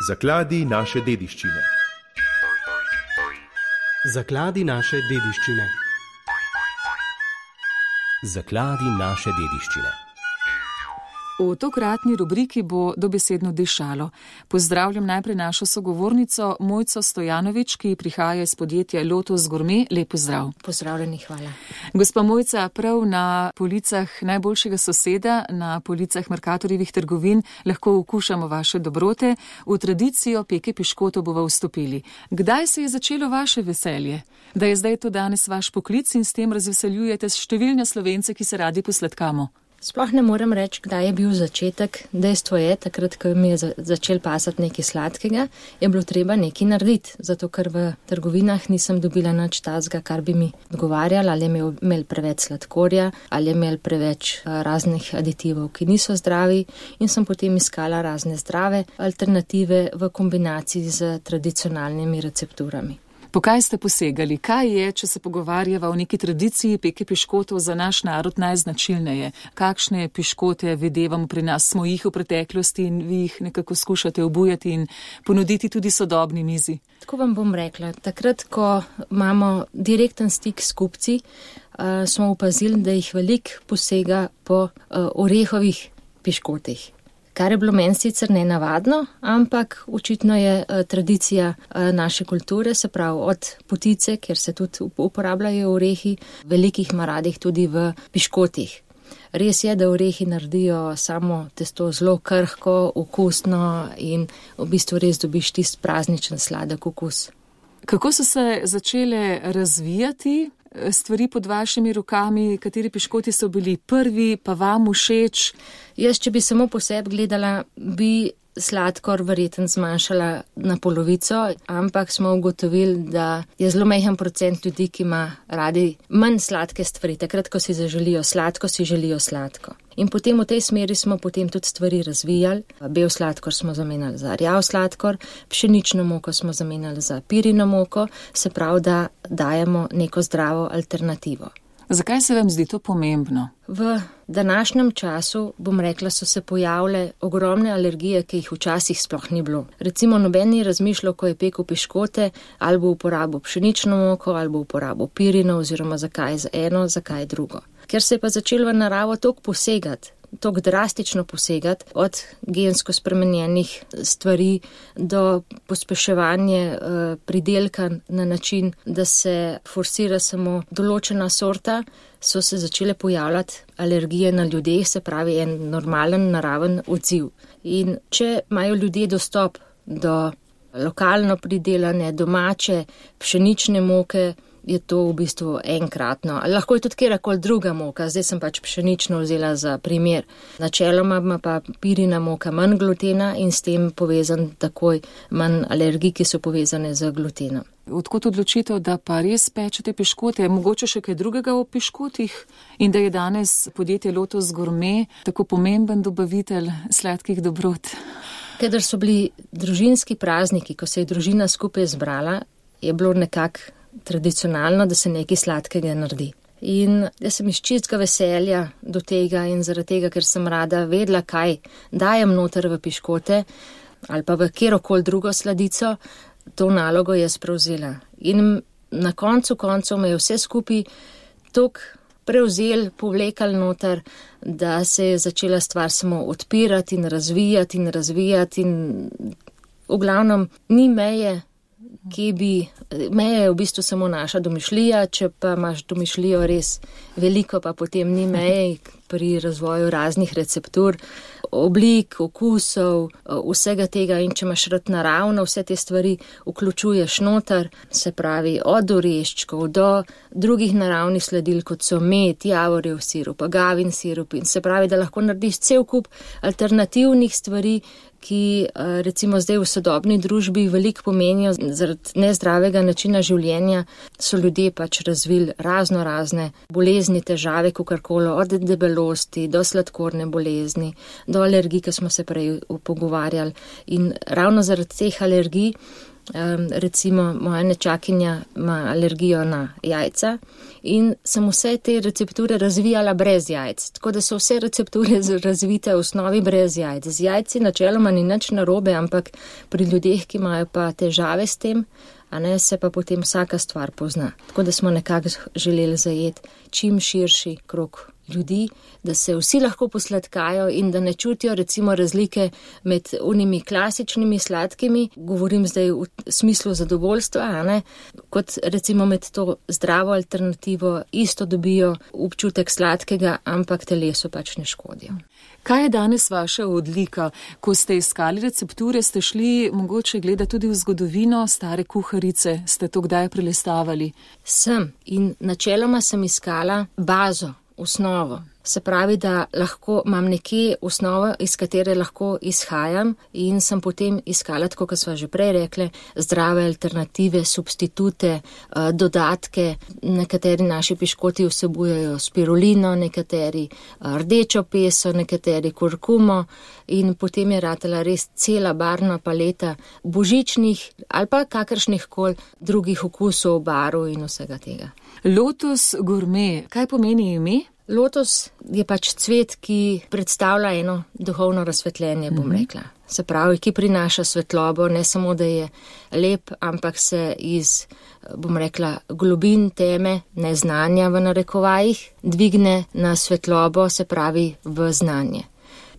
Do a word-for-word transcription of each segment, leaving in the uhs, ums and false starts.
Zakladi naše dediščine. Zakladi naše dediščine. Zakladi naše dediščine. V tokratni rubriki bo dobesedno dišalo. Pozdravljam najprej našo sogovornico Mojco Stojanovič, ki prihaja iz podjetja Lotus Gourmet. Lep pozdrav. Pozdravljeni, hvala. Gospa Mojca, prav na policah najboljšega soseda, na policah Mercatorjevih trgovin lahko okušamo vaše dobrote. V tradicijo peke piškotov bova vstopili. Kdaj se je začelo vaše veselje? Da je zdaj to danes vaš poklic in s tem razveseljujete številne Slovence, ki se radi posladkamo? Sploh ne morem reči, kdaj je bil začetek. Dejstvo je, takrat, ko mi je začel pasati nekaj sladkega, je bilo treba nekaj narediti, zato ker v trgovinah nisem dobila nič tazga, kar bi mi odgovarjalo, ali je imel preveč sladkorja, ali je imel preveč raznih aditivov, ki niso zdravi, in sem potem iskala razne zdrave alternative v kombinaciji z tradicionalnimi recepturami. Po kaj ste posegali? Kaj je, če se pogovarjava o neki tradiciji peke piškotov za naš narod najznačilneje? Kakšne piškote videvamo pri nas? Smo jih v preteklosti in vi jih nekako skušate obujati in ponuditi tudi sodobni mizi? Tako vam bom rekla. Takrat, ko imamo direkten stik s kupci, uh, smo opazili, da jih veliko posega po uh, orehovih piškotih. Kar je bilo meni sicer nenavadno, ampak očitno je uh, tradicija uh, naše kulture, se pravi od potice, kjer se tudi uporabljajo orehi, velikih maradih tudi v piškotih. Res je, da orehi naredijo samo testo zelo krhko, okusno in v bistvu res dobiš tist prazničen sladek okus. Kako so se začele razvijati stvari pod vašimi rokami, kateri piškoti so bili prvi, pa vam všeč? Jaz, če bi samo po sebi gledala, bi sladkor verjetno zmanjšala na polovico, ampak smo ugotovili, da je zelo majhen procent ljudi, ki ima radi manj sladke stvari. Takrat, ko si zaželijo sladko, si želijo sladko. In potem v tej smeri smo potem tudi stvari razvijali. Bel sladkor smo zamenjali za rjav sladkor, pšenično moko smo zamenjali za pirino moko, se pravi, da dajemo neko zdravo alternativo. Zakaj se vam zdi to pomembno? V današnjem času, bom rekla, so se pojavile ogromne alergije, ki jih včasih sploh ni bilo. Recimo noben ni razmišljal, ko je pekel piškote, ali bo uporabil pšenično moko, ali bo uporabil pirino, oziroma zakaj za eno, zakaj drugo. Ker se je pa začelo v naravo toliko posegati, toliko drastično posegati, od gensko spremenjenih stvari do pospeševanja uh, pridelka na način, da se forsira samo določena sorta, so se začele pojavljati alergije na ljudeh, se pravi en normalen, naraven odziv. In če imajo ljudje dostop do lokalno pridelane, domače, pšenične moke, je to v bistvu enkratno. Lahko je tudi kjerkoli druga moka, zdaj sem pač pšenično vzela za primer. Načeloma ima pa pirina moka manj glutena in s tem povezan takoj manj alergij, ki so povezane z glutenom. Odkot odločitev, da pa res pečete piškote? Mogoče še kaj drugega o piškotih? In da je danes podjetje Lotus Gourmet tako pomemben dobavitelj sladkih dobrot? Kadar so bili družinski prazniki, ko se je družina skupaj zbrala, je bilo nekako tradicionalno, da se nekaj sladkega naredi. In jaz sem iz čistega veselja do tega in zaradi tega, ker sem rada vedela, kaj dajem noter v piškote ali pa v kjerokoli drugo sladico, to nalogo jaz prevzela. In na koncu koncev me je vse skupaj toliko prevzel, povlekal noter, da se je začela stvar samo odpirati in razvijati in razvijati in v glavnem ni meje, ki bi, meja je v bistvu samo naša domišljija, če pa imaš domišljijo res veliko, pa potem ni meje pri razvoju raznih receptur, oblik, okusov, vsega tega, in če imaš rad naravno, vse te stvari vključuješ noter, se pravi od oreščkov do drugih naravnih sladil, kot so med, javorjev sirup, agavin sirup, in se pravi, da lahko narediš cel kup alternativnih stvari, ki recimo zdaj v sodobni družbi veliko pomenijo. Zaradi nezdravega načina življenja so ljudje pač razvili razno razne bolezni, težave, kakorkoli, od debelosti deblosti, do sladkorne bolezni, do alergij, ki smo se prej pogovarjali. In ravno zaradi teh alergij, recimo moja nečakinja ima alergijo na jajca in sem vse te recepture razvijala brez jajc. Tako da so vse recepture razvite v osnovi brez jajc. Z jajci načeloma ni nič narobe, ampak pri ljudeh, ki imajo pa težave s tem, a ne, se pa potem vsaka stvar pozna. Tako da smo nekako želeli zajeti čim širši krog ljudi, da se vsi lahko posladkajo in da ne čutijo recimo razlike med unimi klasičnimi sladkimi, govorim zdaj v smislu zadovoljstva, a ne, kot recimo med to zdravo alternativo isto dobijo občutek sladkega, ampak telesu pač ne škodijo. Kaj je danes vaša odlika? Ko ste iskali recepture, ste šli mogoče gledati tudi v zgodovino stare kuharice, ste to kdaj prelestavali? Sem in načeloma sem iskala bazo, osnovo. Se pravi, da lahko imam nekje osnovo, iz katere lahko izhajam in sem potem iskala, tako kot sva že prej rekle, zdrave alternative, substitute, dodatke. Nekateri naši piškoti vsebujejo spirulino, nekateri rdečo peso, nekateri kurkumo in potem je ratala res cela barvna paleta božičnih ali pa kakršnih koli drugih okusov, barv in vsega tega. Lotus Gourmet, kaj pomeni ime? Lotus je pač cvet, ki predstavlja eno duhovno razsvetljenje, bom rekla. Se pravi, ki prinaša svetlobo, ne samo, da je lep, ampak se iz, bom rekla, globin teme, neznanja v narekovajih, dvigne na svetlobo, se pravi v znanje.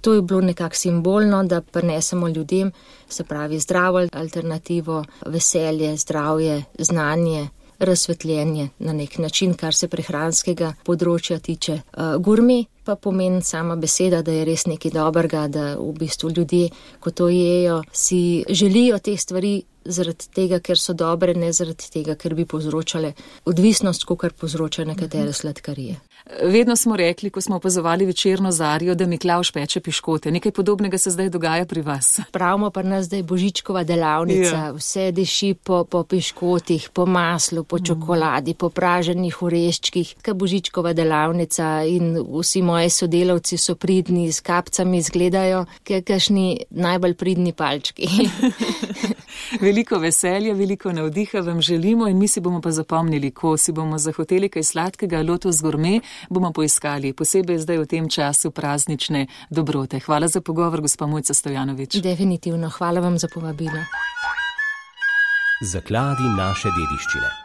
To je bilo nekako simbolno, da prinesemo ljudem, se pravi zdravo alternativo, veselje, zdravje, znanje, razsvetljenje na nek način, kar se prehranskega področja tiče. Gourmet pa pomeni sama beseda, da je res nekaj dobrega, da v bistvu ljudje, ko to jejo, si želijo te stvari zaradi tega, ker so dobre, ne zaradi tega, ker bi povzročale odvisnost, kakor povzroča nekatere sladkarije. Vedno smo rekli, ko smo opazovali večerno zarjo, da Miklavž peče piškote. Nekaj podobnega se zdaj dogaja pri vas. Pravimo pa nas zdaj božičkova delavnica, ja. Vse diši po, po piškotih, po maslu, po čokoladi, po praženih oreščkih. Ka božičkova delavnica in vsi moji sodelavci so pridni, s kapcami izgledajo, kakšni najbolj pridni palčki. Veliko veselja, veliko navdiha vam želimo in mi si bomo pa zapomnili, ko si bomo zahoteli kaj sladkega, Lotus Gourmet bomo poiskali, posebej zdaj v tem času praznične dobrote. Hvala za pogovor, gospa Mojca Stojanović. Definitivno, hvala vam za povabilo. Zakladi naše dediščine.